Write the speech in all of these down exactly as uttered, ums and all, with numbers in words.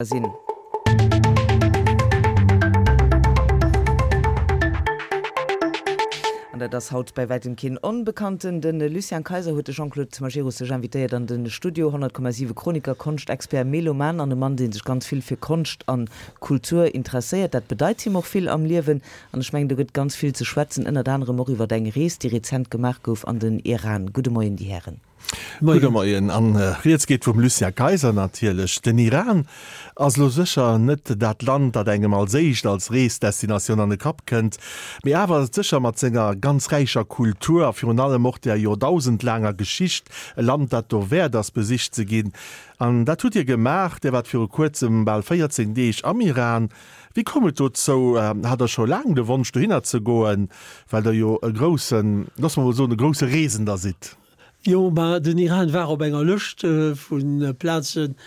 Sinn. An dat ass haut bei wäitem keen Onbekannten. De Lucien Kayser huet de Jean-Claude Majerus sech invitéiert an de Studio. honnert Komma siwe Chroniker, Konschtexpert, Meloman an e Mann, dee sech ganz vill fir Konscht a Kultur interesséiert. Dat bedeit him och vill am Liewen. An ech mengen, do gëtt ganz vill ze schwätzen, ënnert anerem och iwwer eng Rees, déi rezent gemaach gouf an den Iran. Gudde Moien, déi Hären. Gudde Moien. An rieds geet vum Lucien Kayser natierlech. Den Iran ass elo sécher net dat Land, dat engem als éischt als Reesdestinatioun an de Kapp kënnt, mee awer ass et sécher mat senger ganz räicher Kultur a virun allem och der joerdausendlaanger Geschicht e Land, dat dowäert ass, besicht ze ginn. An dat hutt Dir gemaach. Dir waart viru kuerzem bal véierzéng Deeg am Iran. Wéi koum et dozou? Hat Der scho laang de Wonsch dohinner ze goen, well Der jo e groussen, loosse mer mol soen, e grousse Reesender sidd? Jo, ma den Iran war op enger Lëscht vu Plazen,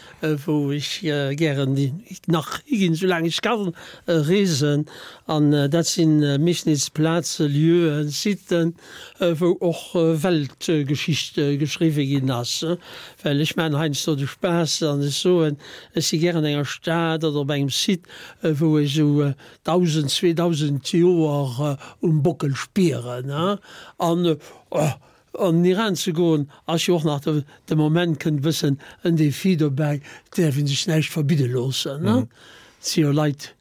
wou ech gären nach higinn, soulaang ech kann reesen. An dat si meeschtens Plazen, Lieuen, Siten, wou och Weltgeschicht geschriwwe ginn ass. Well ech maachen heiansdo de Spaass an ech soen, ech si gären an enger Stad oder op engem Site, wou ech esou dausend, zweedausend Joer um Bockel spieren. An An den Iran ze goen ass jo och nach, de Moment kënnt e bëssen en Défi dobäi, et däerf ee sech näischt verbidde loossen. Et si jo Leit,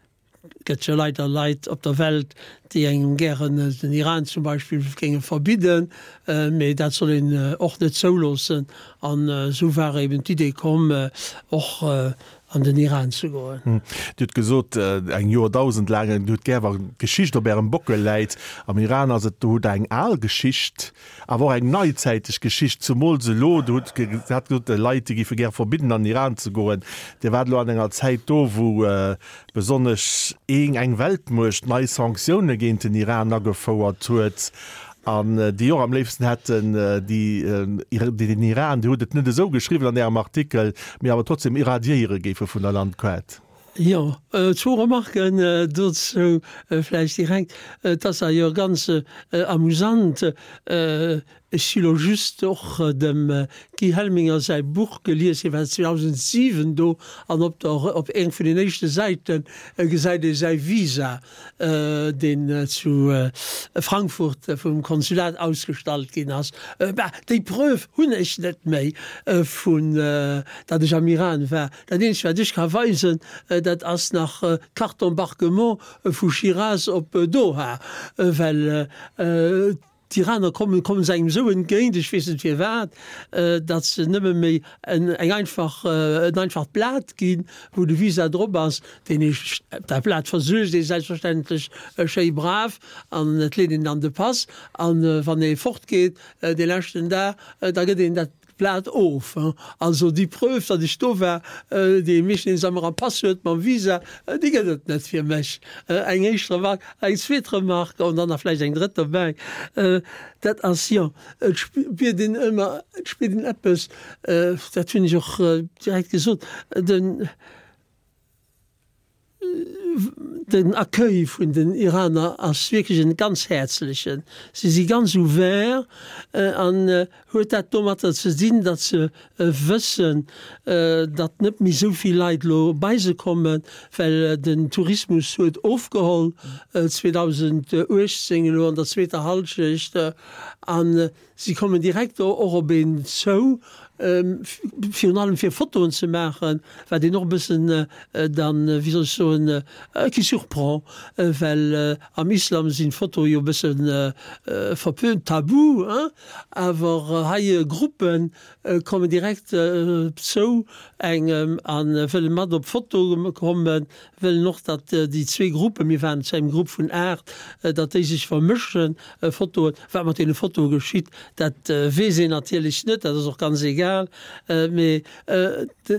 gëtt jo leider Leit op der Welt, déi engem gären den Iran zum Beispill géinge verbidden, mee dat soll een och net zouloossen. An esou war eben d'Idee komm, och an den Iran ze goen. Dir hutt gesot, eng Joerdausend laang, Dir hutt gär, wa Geschicht op Ärem Bockel läit. Am Iran ass et, do hutt Der eng al Geschicht, awer och eng neizäiteg Geschicht, zumools elo. Dir hutt gesot, Leit, déi géife gär verbidden, an den Iran ze goen. Dir waart elo an enger Zäit do, wou besonnesch eng Weltmuecht nei Sanktioune géint den Iran agefouert huet. An déi och am léifsten hätten, déi den Iran, Dir hutt et net esou geschriwwen an Ärem Artikel, mee awer trotzdem irradiéiere géife vun der Landkaart. Jo, zwou Remarken dozou vläicht direkt. Et ass jo ganz amusant, ech si lo just och dem Guy Helminger säi Buch gelies, hie war zweedausentsiwen do, an op der, op eng vun den éischte Säite gesäit ee säi Visa, deen zu Frankfurt vum Konsulat ausgestallt ginn ass. Bah, déi Preuve hunn ech net méi, vun datt ech am Iran war. Dat eenzegt, wat ech ka weisen, dat ass nach d'Carte d'embarquement vu Shiraz op Doha, well d'Iraner kommen, kommen se engem esou entgéint, ech weess net firwat, datt se nëmme méi en eng einfach, en einfacht Blat ginn, wou de Visa drop ass, deen ee, dat Blat versuergt ee selbstverständlech schéi brav an et leet een an de Pass an wann ee fortgeet dee leschten Dag, da gëtt een dat Blat of. Also déi Preuve, datt ech do war, déi ee meeschtens ëmmer am Pass huet mam Visa, déi gëtt et net fir mech. Eng éischt Remarque. Eng zweet Remarque an dann nach vläicht eng drëtt dobäi, dat ass, jo, et spiert een ëmmer, et spiert een eppes, dat hunn ech och direkt gesot, den, Den Accueil vun den Iraner ass wierklech en ganz häerzlechen. Si si ganz ouvert an huet dat domatter ze dinn, datt se wëssen, datt net méi esou vill Leit elo bei se kommen, well den Tourismus huet ofgeholl zweedausentuechtzéng elo an der zweeter Hallschecht an si kommen direkt och op een zou, virun allem fir Fotoen ze maachen, wat een och e bëssen dann, wéi soll ech soen, qui surprend, well am Islam sinn d'Fotoe jo e bësse verpönt, tabu, hein, awer hei Gruppe kommen direkt zou engem a wëlle mat op d'Foto kommen, wëllen och, datt déi zwee Gruppen, mir waren zu engem Grupp vun aacht, datt déi sech vermëschen, Fotoen. Wat mat deene Fotoe geschitt, dat weess een natierlech net, dat ass och ganz egal. Mee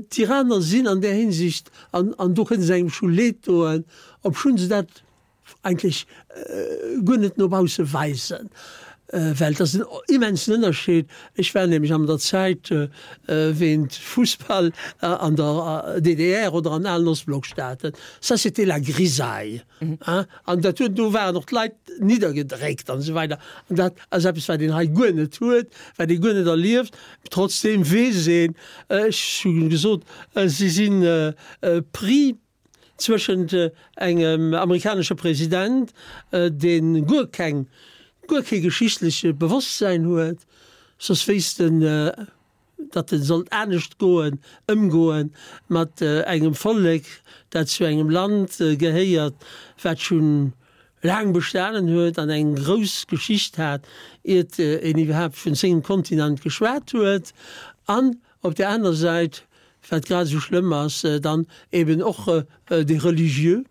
d'Iraner sinn an där Hinsicht, an an do kënne se engem scho leed doen, obschonn se dat eigentlech guer net no bausse weisen. Well et ass en immensen Ënnerscheed. Ech war nämlech an der Zäit wéint Fussball an der D D R oder an alen Ostblockstaaten, ça c'était la grisaille, hein, an dat huet, do waren och d'Leit niddergedréckt an esou weider. An dat ass eppes, wat een hei guer net huet, wat ee guer net erlieft. Trotzdeem weess een, ech hu gesot, si sinn pris zwëschent engem amerikanesche President, dee guer keng, guer kee geschichtleche Bewosstsäin huet, soss wéisst en, datt en sollt anescht goen, ëmgoen mat engem Vollek, dat zu engem Land gehéiert, wat schonn laang bestanen huet an eng grouss Geschicht hat, iert een iwwerhaapt vun sengem Kontinent geschwat huet, an op där aner Säit, wat grad esou schlëmm ass, dann eben och déi Religieux,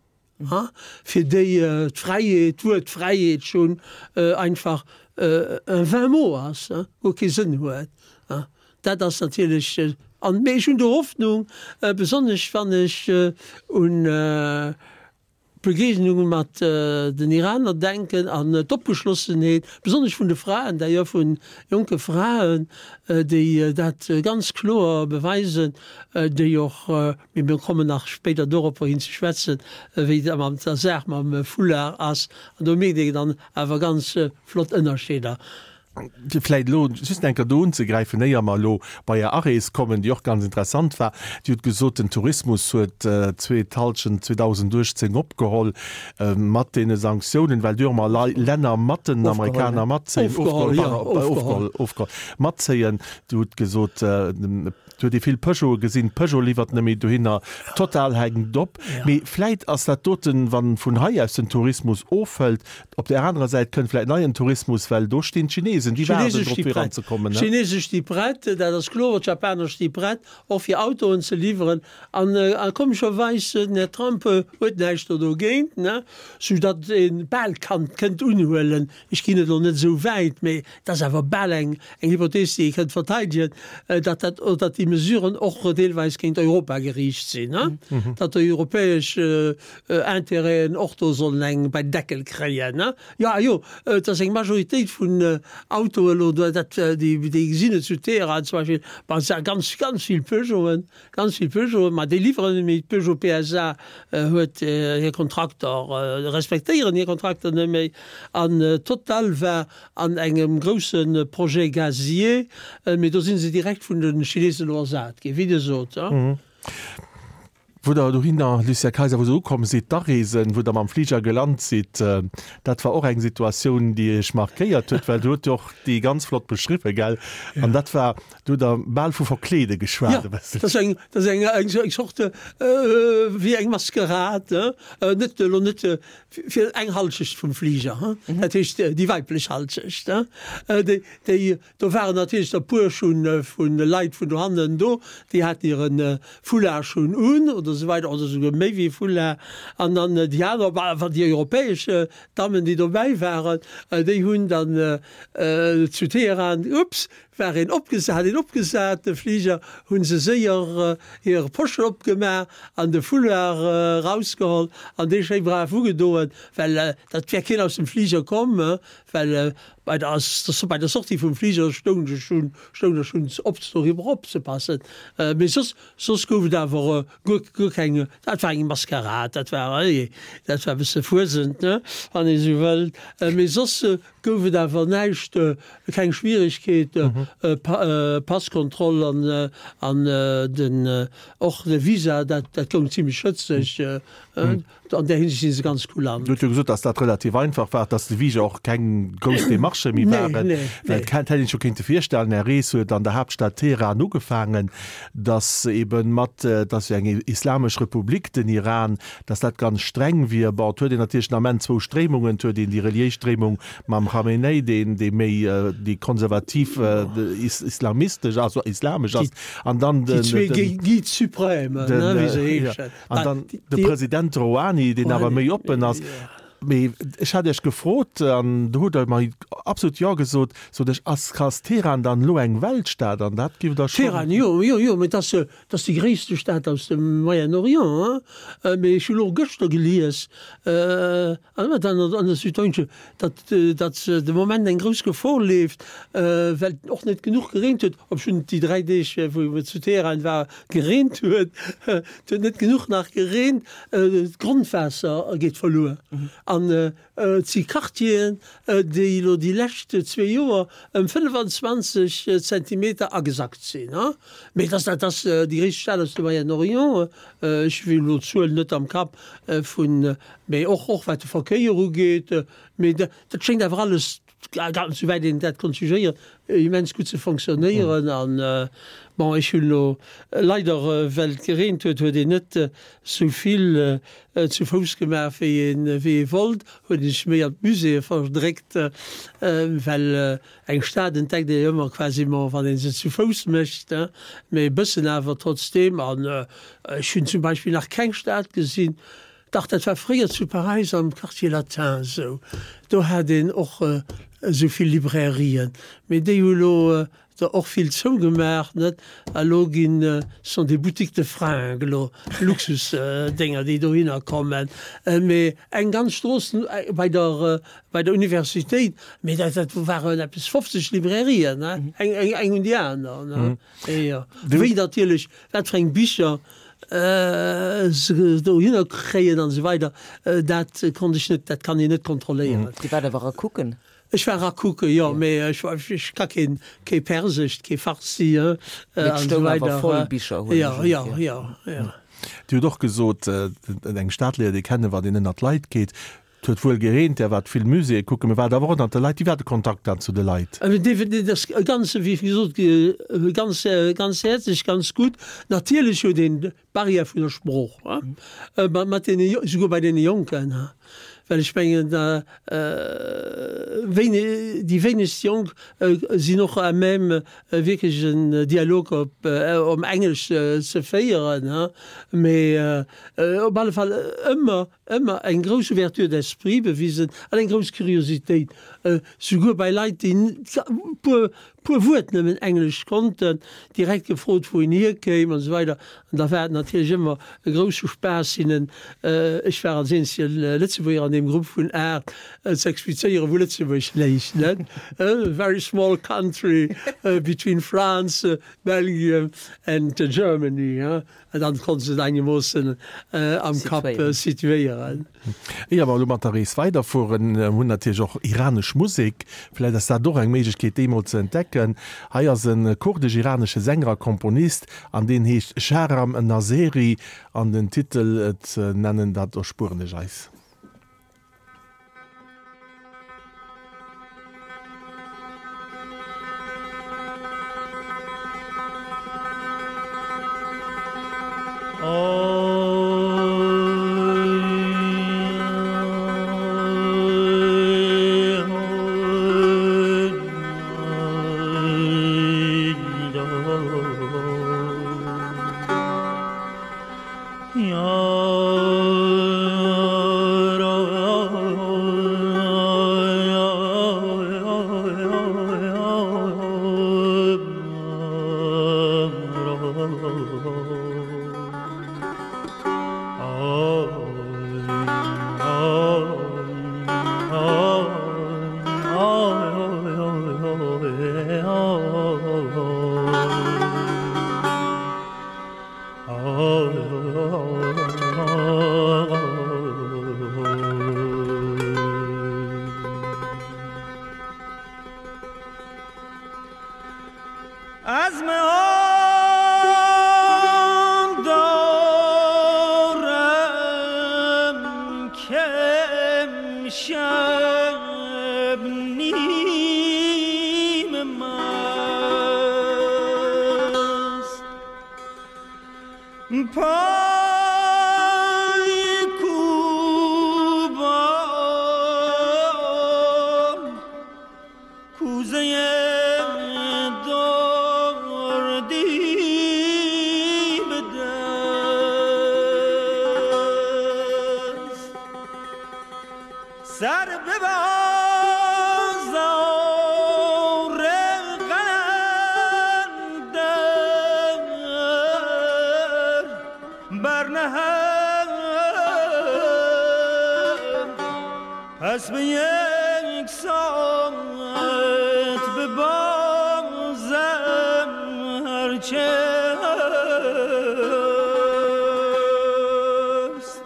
fir déi d'Fräiheet, d'Wuert Fräiheet schonn einfach un vain mot ass, guer kee Sënn huet. Dat ass natierlech, an, mee ech hunn do Hoffnung, besonnesch wann ech un d'Begegnunge mat den Iraner denken an d'Opgeschlossenheet, besonnesch vun de Fraen, d'ailleurs vu jonke Fraen, déi dat ganz kloer beweisen, déi och, mee mir kommen nach spéider doropper hin ze schwätzen, wéi et mat der Saach mam Foulard ass, an do mierkt ee dann awer ganz flott Ënnerscheeder. Fir vläicht elo just eng Kéier do unzegräifen, éier mer elo bei Är Arees kommen, déi och ganz interessant war. Dir hutt gesot, den Tourismus huet zweet Hallschent zweedausenduechtzéng opgeholl mat deene Sanktiounen, well do jo ëmmer Länner mat den Amerikaner matzéien, ofgeholl, pardon, ofgeholl, ofgeholl, matzéien. Dir hutt gesot, et huet ee vill Peugeote gesinn, Peugeot liwwert net méi dohinner, Total hänkt op. Mee vläicht ass dat doten, wa vun hei aus den Tourismus ofhëlt, Op där anerer Säit kënnt vläit neien Tourismus, well do stinn d'Chinesen, déi waarden drop fir eranzekommen. D'Chinese sti prett, dat ass kloer, d'Japaner sti prett, och fir Autoen ze liwweren. An komescherweis, den Här Trump huet näischt do dogéint, soudatt ee bal kann, kënnt unhuelen, ech ginn et elo net esou wäit, mee et ass awer bal eng Hypothees, déi ee kënnt verteidegen, datt dat, datt déi Mesuren och deelweis géint Europa geriicht sinn, datt déi europäesch Intérêten och do sollen eng bei den Deckel kréien, ne? Jo, jo, et ass eng Majoritéit vun Autoen elo do, dat, déi, déi gesinn et zu Teheran zum Beispill, bon, et si ganz, ganz vill Peugeoten, ganz vill Peugeoten, ma déi liwweren net méi. D'Peugeot P S A huet hir Kontrakter, respektéieren hir Kontrakter net méi. An Total war an engem grousse Projet gazier, mee do si se direkt vun de Chinesen elo ersat ginn, wéi Dir sot. Wou Der dohinner, Lucien Kayser, wou Der ukomm sidd, d'Areesen, wou Der mam Fliger gelant sidd, dat war och eng Situatioun, déi Iech markéiert huet, well Der hutt jo och déi ganz flott beschriwwen, gell? An dat war, do hutt Der bal vu Verkleede geschwat e bësselchen. Jo, dat ass eng, dat ass eng, eng Sorte wéi eng Maskerade, net elo net fir eng Halschecht vum Fliger, dat heescht déi weiblech Halschecht, déi, déi Do waren natierlech der puer schonn vu Leit vun dohannen do, déi haten hire Foulard schonn un oder esou weider, oder esouguer méi wéi e Foulard. An dann déi aner, bah, déi europäesch Dammen, déi dobäi waren, déi hunn dann zu Teheran, ups, war een opgesat, hat een opgesat, de Fliger, hu se séier hir Poschen opgemaach an de Foulard erausgeholl an dee schéi brav ugedoen, well dat wär keen aus dem Fliger komm, well Bei der bei der Sortie vum Fliger stoung ech schonn stoung ech schonn op doriwwer opzepassen. Mee soss soss gouf et awer guer guer keng, dat war eng Maskerad, dat war dat war e bësse Fuesent, ne, wann ee sou wëllt. Mee soss gouf et awer näischt, keng Schwieregkeet, Passkontroll an an den och de Visa, dat dat goung zimlech schëtzeg. An där Hinsicht si se ganz kulant. Dir hutt jo gesot, datt dat relativ einfach war, datt de Visa och keng grouss Demarchë méi waren. Nee, nee, nee. Well et hätt een sech jo kéinte virstellen, Är Rees huet an der Haaptstad Teheran ugefaangen, datt eebe mat, et ass jo eng islamesch Republik, den Iran, datt dat ganz streng wier. Bon, et huet een natierlech den Ament zwou Stréimungen, et huet een déi reliéis Stréimung mam Khamenei, deen, dee méi déi konservativ islamistesch, also islamesch ass, an dann den, Déi zwee Guides suprêmes, ne, wéi se heeschen. An dann de President Rouhani, deen awer méi oppen ass. Mee ech hat Iech gefrot, an do hutt Der mer absolut Jo gesot, sot ech, ass ass Teheran dann elo eng Weltstad? An dat giff Der schonn. Teheran, jo, jo, jo, mee et ass, et ass déi gréisste Stad aus dem Moyen-Orient, hein. Mee ech hu lo gëschter gelies, an an der Süddeutsche, datt, datt de Moment eng grouss Gefor leeft, well et och net genuch gereent huet, obschonn et déi dräi Deeg, wou et zu Teheran war, gereent huet. Et huet net genuch nach gereent, d'Grondwaasser geet verluer. An et si Quartieren, déi elo déi lescht zwee Joer ëm fënnefenzwanzeg Zentimeter agesackt sinn. Mee dat dat ass déi gréisst Stad aus dem Moyen-Orient. Ech hunn elo d'Zuel net am Kapp vun, mee och och wat de Verkéier ugeet. Mee dat schéngt awer alles, souwäit een dat konnt jugéieren, immens gutt ze fonctionnéieren. An bon, ech hunn elo leider, well et gereent huet, huet een net sou vill zu Fouss gemaach, wéi een, wéi ee wollt, huet een sech méi an d'Muséeë verdréckt, well eng Stad entdeckt ee jo ëmmer quasiment, wann ee se zu Fouss mécht, mee e bëssen awer trotzdeem. An ech hunn zum Beispill nach keng Stad gesinn, dach, dat war fréier zu Paräis am Quartier Latin esou, do hat een och esou vill Librairien, mee déi hu lo der och vill zougemaach, net? A lo ginn, sont des boutiques de fringues elo, Luxusdénger, déi dohinner kommen. Mee eng ganz Strooss bei der, bei der Universitéit, mee dat, dat waren eppes fofzeg Librairien, ne? Eng, eng, eng un déi aner, ne? Jo. Wéi natierlech, wat fir eng Bicher se dohinner kréien an esou weider, dat konnt ech net, dat kann een net kontrolléieren. Dir waart awer erakucken? Ech war erakucken, jo, mee ech war, ech ka keen, kee Persesch, kee Farsi, Mee an et esou stoung awer weider. voll Bicher, hunn Jo, ech jo, jo. jo, jo. Dir hutt och gesot, eng Stad léiert ee kennen, wann een ënnert d'Leit geet. Et huet wuel gereent, Där waart vill Muséeë kucken, mee waart awer och ënnert de Leit. Wéi war de Kontakt dann zu de Leit? Dat ass ganz, wéi gesot, ganz, ganz häerzlech, ganz gutt. Natierlech huet een d'Barrière vun der Sprooch, mat deene, souguer bei deene Jonken, well ech mengen, wéini, déi wéinegst Jonk sinn och à même wierklech en Dialog op op Englesch ze féieren, mee op alle Fall ëmmer ëmmer eng grouss Ouverture d'esprit bewisen an eng grouss Curiositéit, souguer bei Leit, déi puer, puer Wuert nëmmen Englesch konnten, direkt gefrot, wou een hierkéim an esou weider. An da war et natierlech ëmmer e grousse Spaass, hinnen, ech war als eenzege Lëtzebuerger an deem Grupp vun aacht, ze explizéieren, wou Lëtzebuerg léich, net? A very small country between France, Belgium and Germany. An dann konnte se et einemoossen am Kapp situéieren. Éier mer elo mat der Rees weiderfueren, hunn natierlech och iranesch Musek. Vläicht ass dat och eng Méiglechkeet, déi mol ze entdecken. Hei ass e kurdesch-iranesche Sänger a Komponist an deen heescht Shahram Nazeri an den Titel ze nennen, dat erspueren ech eis. سر به بازار قلندر برنهم پس به یک ساعت به بازم هرچه هست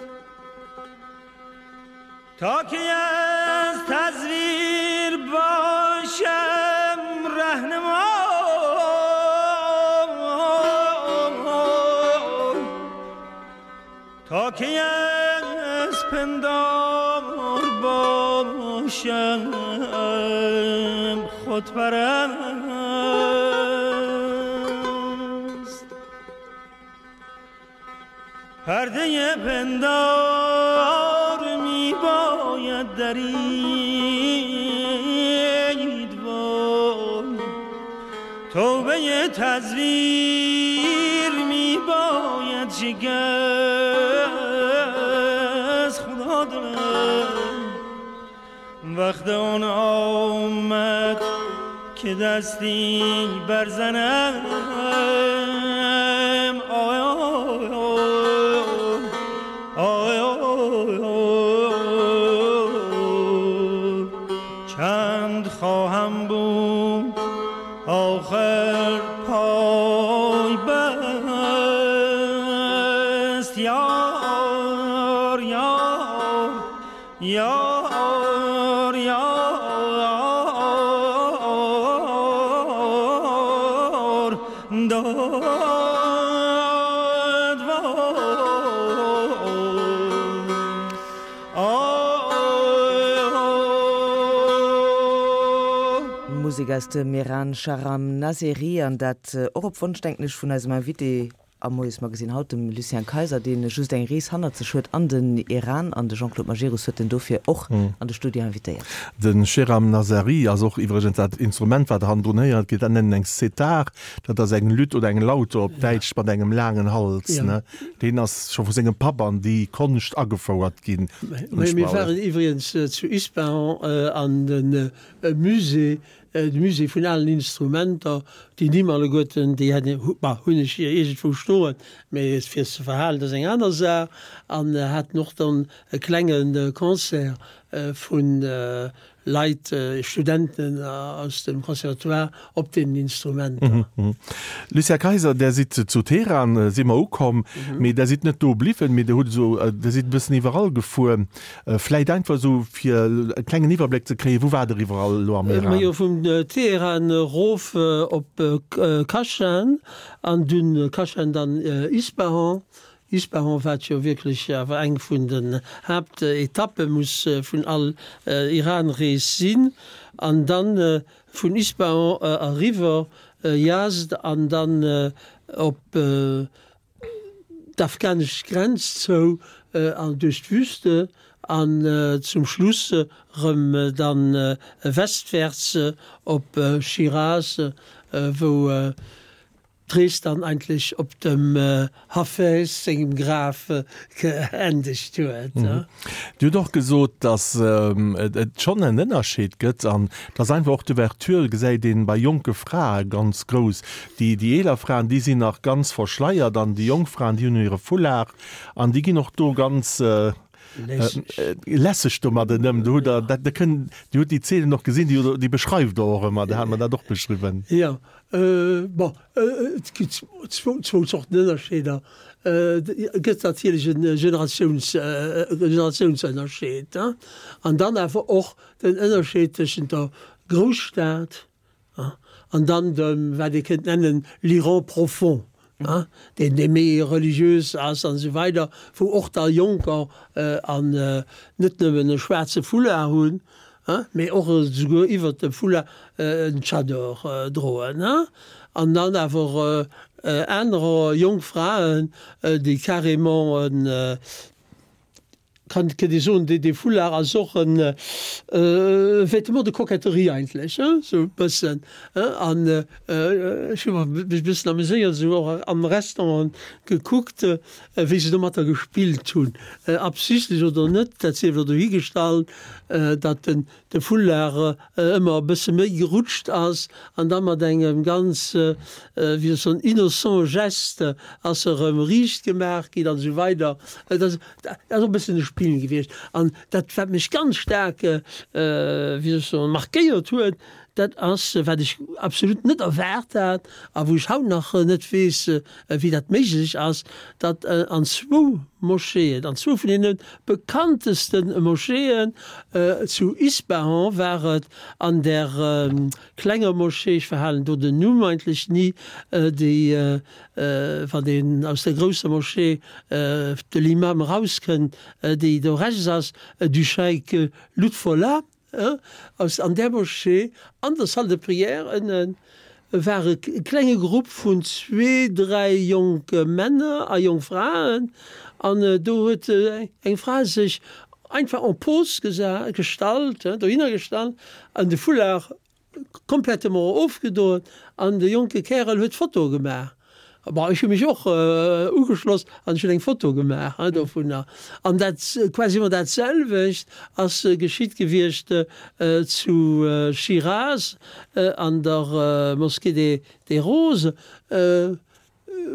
تا که از تزویر باشم رهنما تا که از پندار باشم خود پرست پرده پندار می باید درید وای توبه تزویر می باید شکست خدا دلم وقت آن آمد که دستی برزنم آی آی آی آی چند خواهم بود آخر پای بست یار یار یار یار داد وای Musek aus dem Iran Shahram Nazeri an dat och op Wonsch denken ech vun eisem Invité am Moiesmagazin haut, dem Lucien Kayser, deen just eng Rees hannert sech huet an den Iran an de Jean-Claude Majerus huet en dofir och an de Studio invitéiert. De Shahram Nazeri ass och iwwregens dat Instrument wat hannendrun héiert gëtt, dat nennen eng Setar, dat ass eng Lütt oder eng Laute op Däitsch mat engem laangen Hals, Ja. ne? Deen ass scho vu sengem Papp an déi Konscht agefouert ginn. Mir mir waren iwwregens äh, zu Ispahan äh, an den äh, Musée, äh, de Musée vun allen Instrumenter, déi nimm alleguerten, déi hätten, hu, bah, hunn ech hier iergendwou stoen, mee fir ze verhalen, dat ass eng aner Saach, an äh, haten och dann e klengen äh, Concert äh, vun äh, Leit, äh, Studenten äh, aus dem Conservatoire op den Instrumenter. Mhm, mhm. Lucien Kayser, där sidd zu Teheran äh, si mer ukomm, mhm. mee där sidd net do bliwwen, mee där hutt sou, äh, där sidd e bëssen iwwerall gefuer. Äh, vläicht einfach sou fir e klengen Iwwerbléck ze kréien, wou waart der iwwerall lo am Äh, Iran? Jo vun äh, Teheran äh, rof äh, op äh, K- äh, Kashan an dunn äh, Kashan dann äh, Ispahan. Ispahan wat jo wierklech awer eng vun den Haaptetappe muss äh, vun all äh, Iranrees sinn. An dann äh, vun Ispahan äh, eriwwer äh, Yazd an dann äh, op äh, d'afghanesch Grenz zou äh, an duerch d'Wüste an äh, zum Schluss äh, rëm äh, dann äh, westwärts äh, op äh, Shiraz, äh, wou äh, d'Rees dann eigentlech op dem äh, Hafez sengem Graf äh, geendegt huet. Mhm. Dir hutt och gesot, dass ähm, et et schonn en Ënnerscheed gëtt an dass einfach och d'Ouverture gesäit een bei jonke Frae ganz grouss. Déi déi eeler Fraen, déi sinn nach ganz verschleiert an déi jonk Fraen, déi hunn hire Foulard an déi ginn och do ganz äh, Lässeg. äh, lässeg domadder ëm. Du hutt da dat da kënnt Dir hutt déi Zeenen och gesinn, déi déi beschreift Der och ëmmer, do hat mer dat och beschriwwen. Ja, äh, bon, äh, et gëtt zwou zwou Zorten Ënnerscheeder. Äh, gëtt natierlech en Generatiouns, äh, Generatiounsënnerscheed, ne? An dann awer och den Ënnerscheed tëschent der Grousstad, ja, an dann dem, wat ee kënnt nennen, l'Iran profond, ja, deen dee méi religiös ass an sou weider, wou och da Jonker äh, an äh, net nëmmen e schwaarze Foulard hunn, ja, mee och souguer iwwer de Foulard äh, en Tschador äh, droen, ne? An dann awer äh, anerer jonk Fraen, äh, déi carrément en äh, Kann kënnt ee soen, dee Foulard ass och en Vêtement de coquetterie eigentlech, hein, sou e bëssen, hein. An ech hu mech e bëssen ameséiert, esou och an Restauranten gekuckt, wéi se domatter gespillt hunn, absichtlech oder net, dat sief elo dohigestallt, datt den de Foulard ëmmer e bësse méi gerutscht ass an da mat engem ganz, wéi soll ech soen, innocent Geste ass e rëm riicht gemaach ginn an esou weider. Dat ass och e bëssen e Spill gewiescht. An dat, wat mech ganz staark, wéi soll ech soen, markéiert huet, dat ass, wat ech absolut net erwaart hat a wou ech haut nach net weess, wéi dat méiglech ass, datt an zwou Moscheeën, an zwou vun deene bekannteste Moscheeën, zu Ispahan war et, an där klenger Moschee, ech verhalen do den Numm eigentlech ni, déi, wann een aus der grousser Moschee de l'Imam erauskënnt, déi do rechts ass, du Scheik Lutfollah, Aus an där Moschee, an der Salle de prière ënnen, war e klenge Grupp vun zwee, dräi jonke Männer a jonk Fraen. An do huet eng Fra sech einfach en pose gestallt, dohinner gestallt an de Foulard Complètement ofgedoen an de jonke Kärel huet d'Foto gemaach. Bon, ech hu mech och ugeschloss an ech hunn eng Foto gemaach dovunner. An dat, quasiment dat selwecht ass geschitt gewiescht zu Shiraz an der Mosquée des Roses.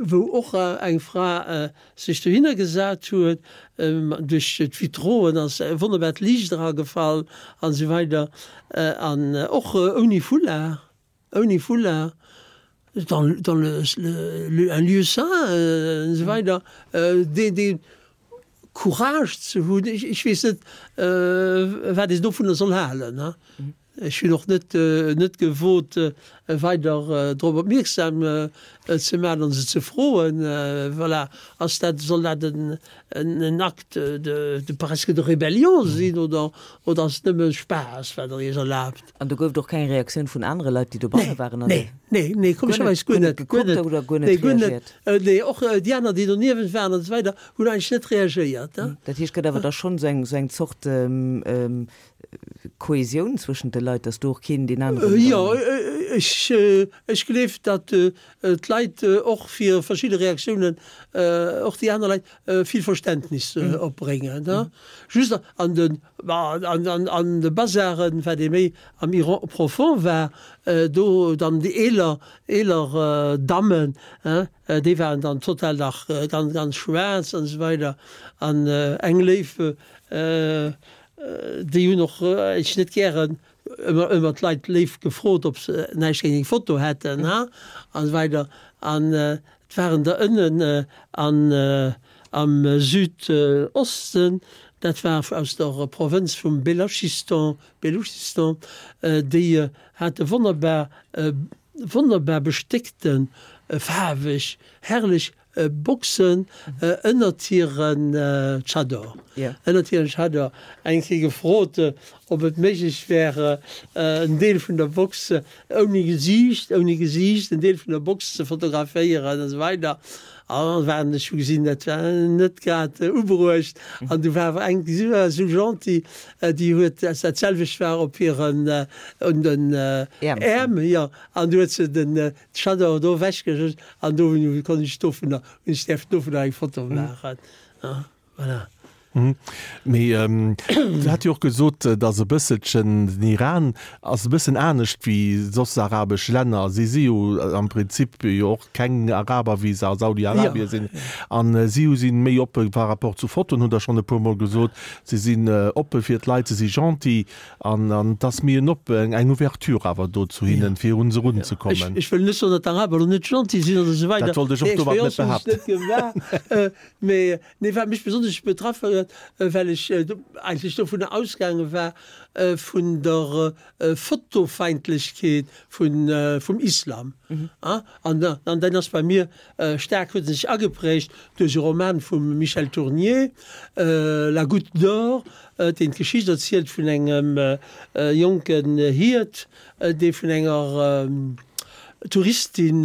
Wou och eng Fra sech dohinner gesat huet, duerch d'Vitroen ass e wonnerbart Liicht eragefall an esou weider an och ouni Foulard, ouni Foulard, dans dans le le un lieu saint an esou weider, dee dee Courage ze hunn, ech weess net wat een dovunner soll halen. Ech hunn och net net gewot weider drop opmierksam ze maachen an se ze froen. Voilà, ass dat, soll dat en en Acte de de presque de rébellion sinn oder oder ass et nëmme Spaass wat der iech erlaabt? An do gouf et och keng Reaktioun vun anere Leit, déi dobanne waren? Nee, nee, nee, komescherweis guer net, guer net, oder guer nee, net guer net. reagiert? Nee, och déi aner, déi doniewent waren an esou weider, hunn eigentlech net reagéiert. Dat heescht, et gëtt awer da schonn esou eng esou eng Zort Kohesioun zwëschent de Leit, datt do och keen deen aneren dann. Jo, ech, ech gleef, datt d'Leit och fir verschidde Reaktiounen, och déi aner Leit, vill Verständnis opbréngen. Just an de, an de Bazaren, wat ee méi am Iran profond war, do dann déi eeler, eeler Dammen, déi waren dann total nach ganz, ganz schwaarz an esou weider an eng léif, Déi hunn och ech net gären ëmmer ëmmer d'Leit léif gefrot, ob se näischt géint eng Foto hätten, ha, an esou weider. An et waren der ënnen an am Südosten, dat war aus der Provënz vum Belachistan, Beluchistan, déi hate wonnerbar, wonnerbar bestéckte faarweg, herrlech Boxen ënnert hiren Tschador. Ënnert hiren Tschador. Eng Kéier gefrot, ob et méiglech wär, en Deel vun der Box ouni Gesiicht, ouni Gesiicht, en Deel vun der Box ze fotograféieren an esou weider. An waren, ech hu gesinn, dat war net grad ubruecht. An du war awer eng, si war esou gentil, déi huet, dat selwecht war op hiren, un den Äerm, jo, an du huet se den Tschador do ewechgeschëscht. An do konnt ech dovunner, hunn ech däerfen dovunner eng Foto maachen. Voilà. Mee Du hat jo och gesot, datt e bësselchen den Iran ass e bëssen anescht wéi soss arabesch Länner. Si si jo am Prinzip jo och keng Araber, wéi se a Saudi-Arabien sinn. An si hu si méi oppe par rapport zu Fotoen, hutt Der schonn e puermol gesot. Si sinn oppe fir d'Leit, se si gentil. An an et ass méi en op, eng Ouverture awer do zu hinnen, fir un se erunzekommen. Ech wëll net soen, datt d'Araber elo net gentil sinn oder esou weider. Dat wollt ech och domat net behaapten. Déi Expérience hunn ech net gemaach. Mee nee, wat mech besonnesch betraff huet, well ech eigentlech dovunner ausgaange war, vun der Fotofeindlechkeet vun vum Islam. An an dat ass bei mir staark, huet sech ageprägt duerch e Roman vum Michel Tournier, La Goutte d'or, deen d'Geschicht erzielt vun engem jonken Hiert, dee vun enger Touristin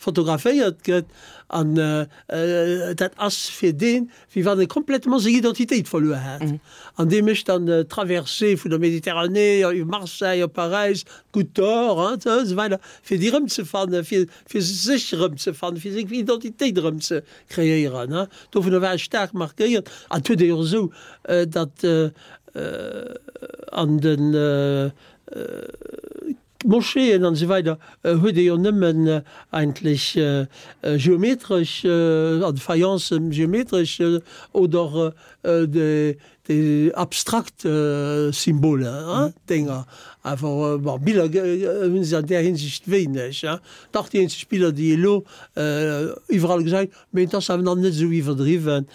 fotograféiert gëtt An dat ass fir deen, wéi wann e complètement seng Identitéit verluer hätt. An dee mécht dann d'Traversée vun der Méditerranée, iwwer Marseille, op Paräis, d'Goutte d'Or, an esou weider, fir déi erëmzefannen, fir fir sech erëmzefannen, fir seng Identitéit erëm ze kreéieren. Dovunner war e staark markéiert. An et huet ee jo och esou, datt an de Moscheeën an esou weider huet ee jo nëmmen eigentlech geometresch, an de Faïencen geometresch oder déi abstrakt Symboler, Dénger. Awer bon, Biller hu se an där Hinsicht wéineg. Dach, déi eenzeg Biller, déi ee elo iwwerall gesäit, mee et ass awer nach net esou iwwerdriwwen,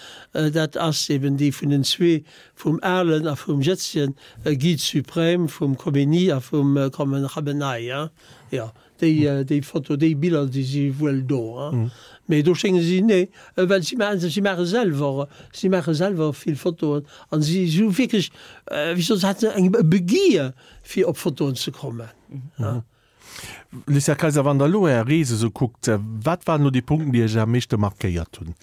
dat ass eben déi vun den zwee, vum alen a vum jëtzegen Guide suprême, vum Khomeini a vum Khamenei. Jo, déi, déi Foto, déi Biller, déi si wuel do. Mee do schénge si, nee, well si maachen, si maache selwer, si maache selwer vill Fotoen an si hu wierklech, wéi soll ech soen, eng e Begier fir op Fotoen ze kommen. Lucien Kayser, Wann Der elo Är Rees esou kuckt, wat waren elo déi Punkten, déi Iech am meeschte markéiert hunn?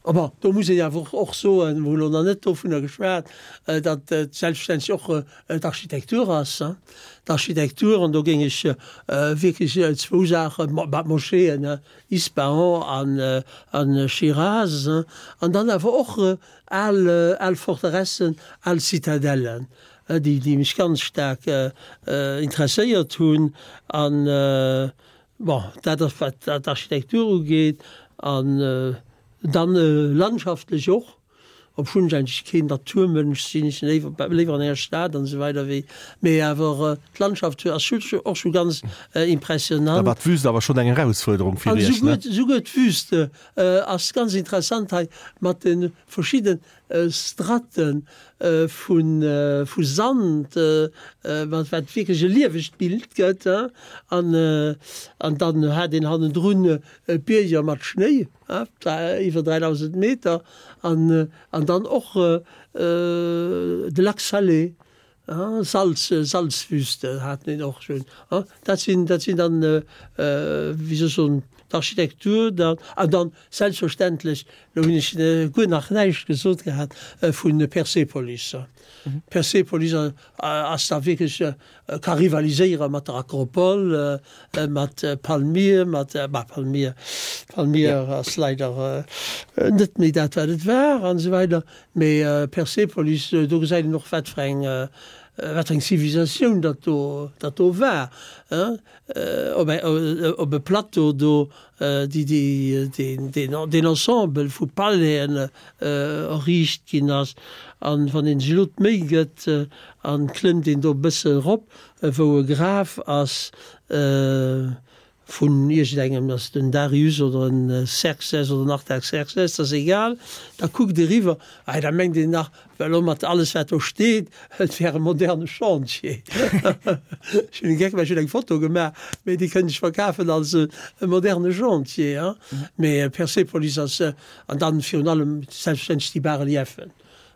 A bon, do muss een awer och soen, mer hu lo nach net dovunner geschwat, datt et selbstverständlech och d'Architektur ass. D'Architektur, an do géing ech wierklech zwou Saachen, bah, d'Moscheeën, Ispahan an Schiraz, an dann awer och al, al Forteressen, al Zitadellen, déi, déi mech ganz staark interesséiert hunn. An, bon, dat ass wat d'Architektur ugeet. An dann landschaftlech och, obschonn ech eigentlech keen Naturmënsch sinn, ech sinn léiwer léiwer an enger Stad an esou weider wéi, mee awer d'Landschaft ass och scho ganz impressionant. Da war d'Wüst awer schonn eng Erausfuerderung fir Iech, ne? An esouguer d'Wüst ass ganz interessant hei mat de verschidde Stratte vu Sand, wat wierklech e liewegt Bild gëtt. An dann hat een hannendrun Bierger mat Schnéi, iwwer dräidausend Meter, an dann och de Lac Salé, Salz, Salzwüste haten een och schonn. Dat sinn, dat sinn dann, wéi soll ech soen, d'Architektur dann. An dann selbstverständlech, lo hunn ech guer nach näischt gesot gehat vu Persepolis. Persepolis ass da wierklech, ka rivaliséiere mat der Akropol, mat Palmyre, mat, bah, Palmyre, Palmyre ass leider net méi dat wat et war an esou weider, mee Persepolis, do gesäit een och wat fir eng, wat fir eng Zivilisatioun dat do, dat do war, op op e Plateau do, déi, déi, deen, deen, deen Ensemble vu Palaisen erriicht ginn ass. An wann een sech elo d'Méi gëtt an klëmmt een do e bësse erop, wou e Graf ass vun iergendengem, ass et en Darius oder en Xerxes oder en Artaxerxes, dat ass egal, da kuckt eriwwer, ei da mengt een nach, well elo mat alles wat do steet, et wär e moderne Chantier. Ech hunn e Geck, well ech hunn eng Foto gemaach, mee déi kënnt ech verkafen als e moderne Chantier. Mee Persepolis ass, an dann virun allem selbstverständlech déi Bas-reliefen.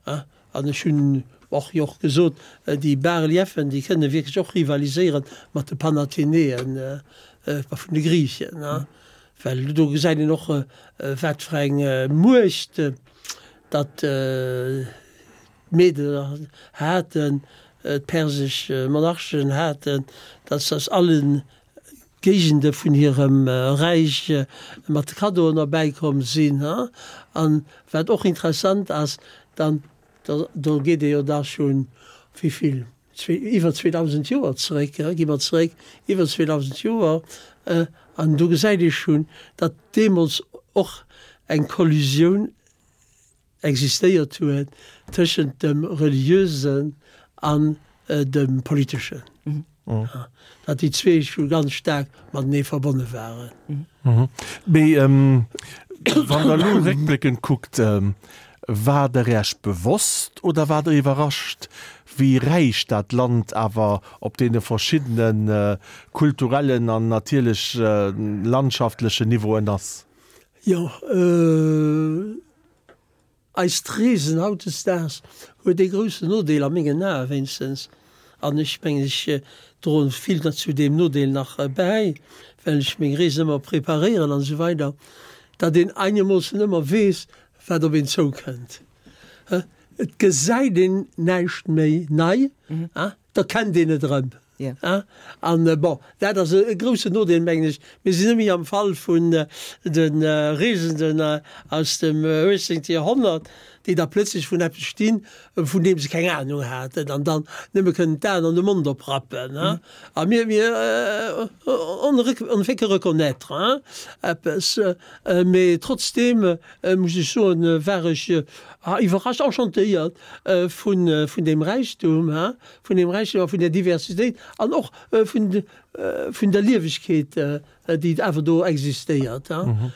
An ech hunn och jo och gesot, déi Bas-reliefen, déi kënne wierklech och rivaliséiere mat de Panathenäen vun de Griichen, well do gesäit een och, wat fir eng Muecht datt d'Meder haten, d'persesch Monarchen haten, datt se aus allen Géigende vun hirem Räich mat Kaddoen erbäikomm sinn. An wat och interessant ass, dann, do geet ee jo da schonn, wéi vill, iwwer zweedausend Joer zeréck, gi mer zeréck, iwwer zweedausend Joer, an do gesäit ee schonn, datt deemools och eng Kollusioun existéiert huet tëschent dem Reliösen an dem Politeschen, datt déi zwee scho ganz staark matenee verbonne waren. Mee wann Der elo réckbléckend kuckt, war Der Iech bewosst oder waart Der iwwerrascht, wéi räich dat Land awer op deene verschiddene kulturellen an natierlech landschaftlechen Niveauen ass? Jo. Eist Reesen hautdesdaags huet ee groussen Nodeel, a mengen Ae wéinstens, an ech mengen ech droen vill zu deem Nodeel nach bäi, well ech meng Reesen ëmmer preparéieren an esou weider, datt een einermoossen ëmmer weess, wat op een zoukënnt. Et gesäit een näischt méi nei, da kennt een et erëm. An bon, dat ass e groussen Nodeel, mengen ech. Mir sinn net méi am Fall vun de Reesenden aus dem uechtzéngte Joerhonnert, déi da plëtzlech vrun eppes stinn, vun deem se keng Anung haten an dann nëmme kënnen d'Aen an de Mond oprappen. A mir, mir, on ne fait que reconnaître, hein, eppes. Mee trotzdeem muss ech soen, war ech iwwerrascht, enchantéiert vun, vun deem Räichtum, hein, vun deem Räichtum a vun där Diversitéit an och vun, vun der Liewegkeet, déi awer do existéiert, hein.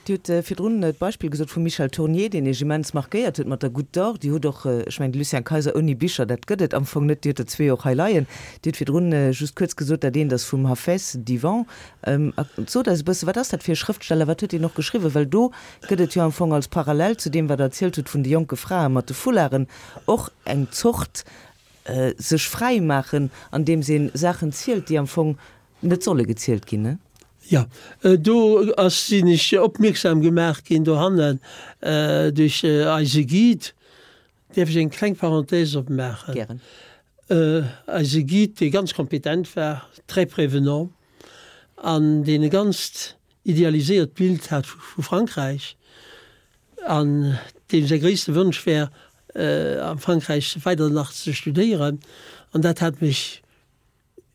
Dir hutt virdrun d'Beispill gesot vum Michel Tournier, deen Iech immens markéiert huet mat der Goutte d'Or. Dir hutt och, ech mengen, de Lucien Kayser ouni Bicher, dat gëtt et am Fong net, Dir hutt der zwee och hei leien. Dir hutt virdrun just kuerz gesot, dat eent ass vum Hafez, Divan. Sot eis e bësse, wat ass dat fir e Schrëftsteller, wat huet deen och geschriwwen? Well do gëtt et jo am Fong als Parallel zu deem, wat Der erzielt hutt vun de jonke Frae mat de Foularden, och eng Zort sech fräi maachen, andeems ee Saachen zielt, déi am Fong net solle gezielt ginn, ne? Jo, do ass, sinn ech opmierksam gemaach ginn dohannen duerch eise Guide. Däerf ech eng kleng Parenthèse opmaachen? Gären. Eise Guide, dee ganz kompetent war, très prévenant, an deen e ganzt idealiséiert Bild hat vu Frankräich, an deem säi gréisste Wonsch wär, am Frankräich weider nach ze studéieren, an dat hat mech,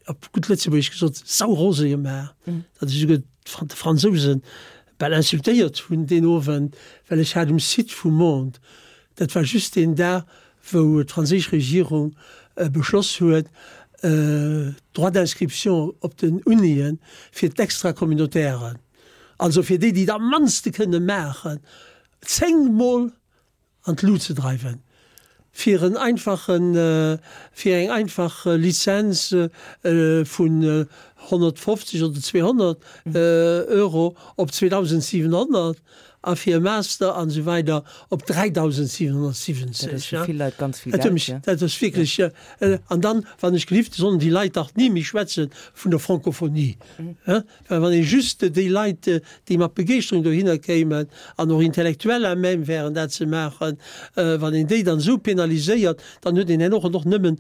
op gutt Lëtzebuergesch gesot, saurose gemaach, datt ech esouguer de Fransouse bal insultéiert hunn deen Owend, well ech hat um Site vum Monde, dat war just deen Dag, wou d'franséisch Regierung beschloss huet, d'Droits d'inscription op den Unien fir d'Extracommunautairen, also fir déi, déi et am mannste kënne maachen, zéngmol an d'Lut ze dreiwen, fir en einfachen, fir eng einfach Lizenz vun honnertfofzeg oder zweehonnert Euro op zweedausentsiwenhonnert a fir e Master an esou weider op dräidausentsiwenhonnertsiwwenzeg. Dat ass fir vill Leit ganz vill Dat huet Geld, mech, jo. dat ass wierklech, an dann, wann ech gelift, sollen déi Leit dach ni méi schwätze vun der Francophonie. Well wann ee just déi Leit, déi mat Begeeschterung dohinner kéimen an och intellektuell à même wären dat ze maachen, wann een déi dann esou penaliséiert, dann huet een herno och nëmmen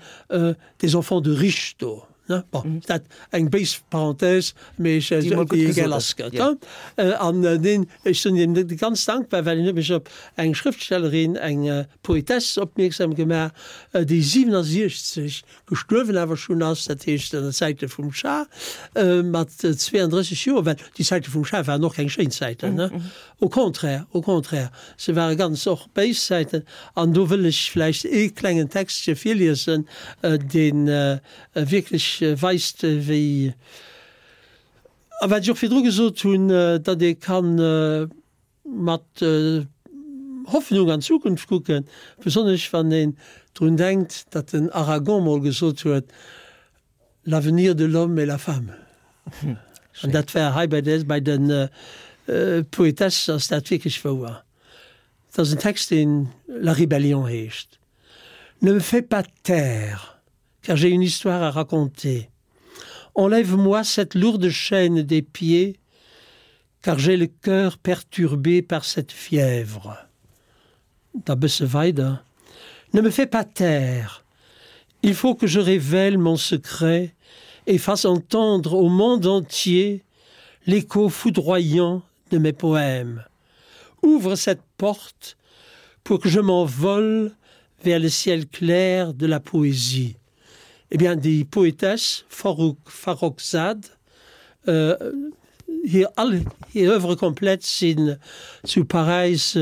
des enfants de riches do. Bon, dat eng béis Parenthèse, mee ech, Déi emol gutt déi gesot lass ass, gëtt. jo. An deen, ech sinn him ganz dankbar, well en huet mech op eng Schrëftstellerin, eng Poetesse opmierksam gemaach, déi siwenasiechzeg gestuerwen awer schonn ass, dat heescht an der Zäite vum Schah, mat zweeandrësseg Joer, well déi Zäite vum Schah waren och keng schéin Zäiten, ne? Au contraire, au contraire, se ware ganz och béis Zäiten. An do wëll ech vläicht ee klengen Textche virliesen, dee wierklech weist, wéi, a wat ech och virdru gesot hunn, datt ee kann mat Hoffnung an d'Zukunft kucken, besonnesch wann een drun denkt, datt den Aragon mol gesot huet, L'avenir de l'homme est la femme. An dat war hei bei de, bei de Poetesse ass dat wierklech wouer. Et ass en Text, deen La rébellion heescht. Ne me fais pas taire, car j'ai une histoire à raconter. Enlève-moi cette lourde chaîne des pieds, car j'ai le cœur perturbé par cette fièvre. Da bësse weider. Ne me fais pas taire, il faut que je révèle mon secret et fasse entendre au monde entier l'écho foudroyant de mes poèmes. Ouvre cette porte pour que je m'envole vers le ciel clair de la poésie. Eh bien, déi Poetess Farrouk Farrokhzad, hir all hir Oeuvres complètes sinn zu Paräis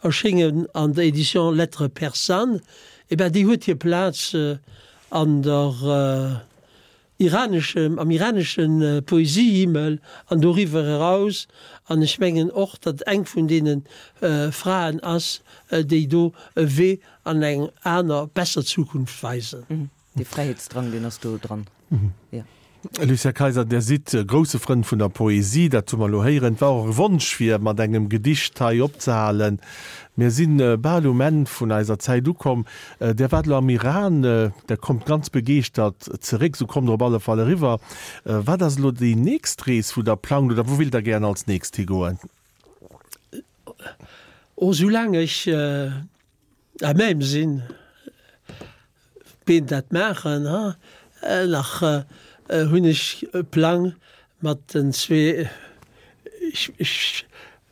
erschéngen an der Edition Lettres persanes, eh ben déi huet hir Plaz an der iraneschem, am iranesche Poesiehimmel an doriwwer eraus. An ech mengen och, datt eng vun deene Fraen ass, déi do e Wee an eng aner, besser Zukunft weisen. Dee Fräiheetsdrang, deen ass do dran, jo. Lucien Kayser, Dir sidd e grousse Frënd vun der Poesie, dat hu mer elo héieren. Et war och e Wonsch, fir mat engem Gedicht hei opzehalen. Mir si bal um Enn vun eiser Zäit ukomm. Dir waart elo am Iran, Der kommt ganz begeeschtert zeréck, esou kommt Der op alle Fall eriwwer. Wat ass elo déi nächst Rees, wou Der plangt oder wou wéilt Der gären als nächst higoen? Oh, soulaang ech à même sinn, d'Been dat maachen, ha. Nach hunn ech e Plang mat den zwee, ech, ech,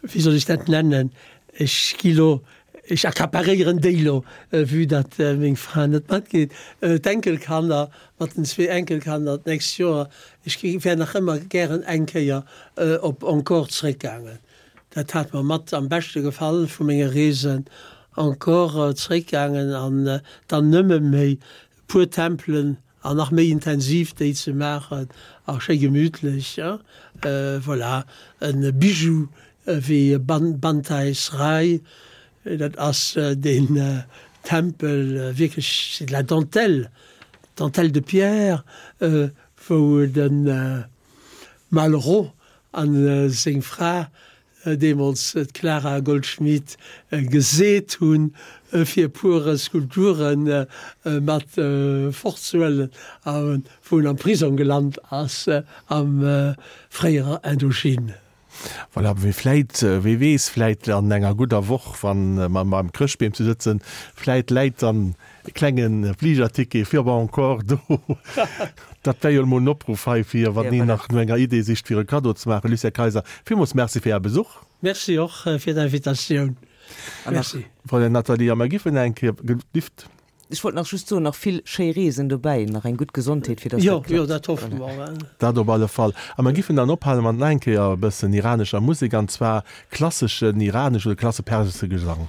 wéi soll ech dat nennen, ech gi lo, ech accaparéieren déi lo, vue datt meng Fra net matgeet, d'Enkelkanner, mat den zwee Enkelkanner d'nächst Joer. Ech gi, wär nach ëmmer gären eng Kéier op Angkor zréckgaangen. Dat hat mer mat am beschte gefall vu menge Reesen. Angkor zréckgaangen an dann nëmme méi puer Tempelen an nach méi intensiv déi ze maachen a schéi gemütlech. Voilà, e Bijou wéi Banteay Srei, dat ass deen Tempel, wierklech c'est de la dentelle, dentelle de pierre, wou de Malraux a seng Fra deemools d'Clara Goldschmidt geseet hunn, fir e puer Skulpture mat fortzehuelen, a wou en am Prisong gelant ass am fréierer Indochine. Voilà, wéi vläit, wee weess, vläit an enger gudder Woch, wa mer beim Chrëschtbeem ze sëtzen, vläit läit dann e klenge Fligerticket fir op Angkor do. Dat wär jo emol en Opruff hei, fir, wann een nach no enger Idee sicht, fir e Kaddo ze maachen. Lucien Kayser, villmools Merci fir Är Besuch. Merci och fir d'Invitatioun. Merci. Fräulein Nathalie, a mer giffen eng Kéier gelift. Ech wollt nach just soen, nach vill schéi Reesen dobäi, nach eng gutt Gesondheet, fir dass dat klappt. Jo, jo, dat hoffe mer. Dat op alle Fall. A mer giffen dann ophale mat nach eng Kéier e bëssen iranescher Musek, an zwar klasseschen iranesch oder klasse persesche Gesang.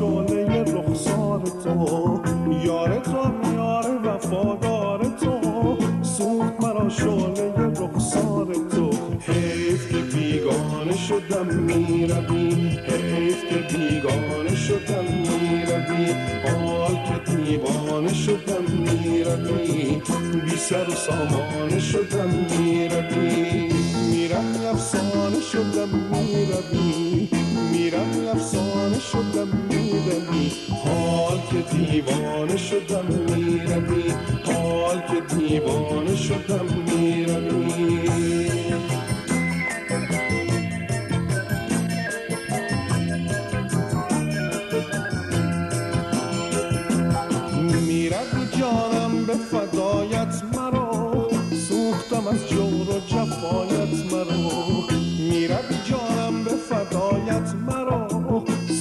تو وفادار تو سوخت مرا شعله رخسار تو حیف که بیگانه شدم میروی حیف که بیگانه شدم میروی حال که دیوانه شدم میروی بی سر و سامانه شدم میروی میروی افسانه شدم میروی میروی افسانه شدم میروی حال که دیوانه شدم میروی حال که دیوانه شدم میروی میروی جانم به فدایت مرا سوختم از جور و جفایت مرا میروی جانم به فدایت مرا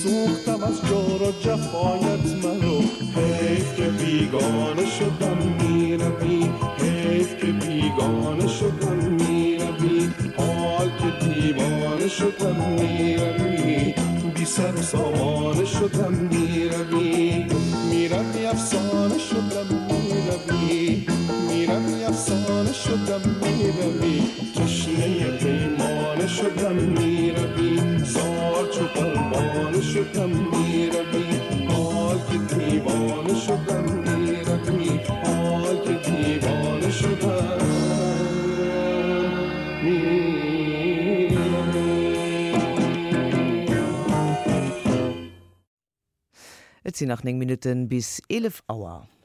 سوختم از جور و جفایت مرا حیف که بیگانه شدم میروی حیف که بیگانه شدم میروی حال که دیوانه شدم میروی بی سر و سامانه شدم میروی میروی افسانه شدم میروی میروی افسانه شدم میروی تشنه پیمانه شدم میروی زار چو پروانه شدم میروی حال که دیوانه شدم میروی حال که دیوانه شدم میروی Et sinn nach néng Minutten bis eelef Auer.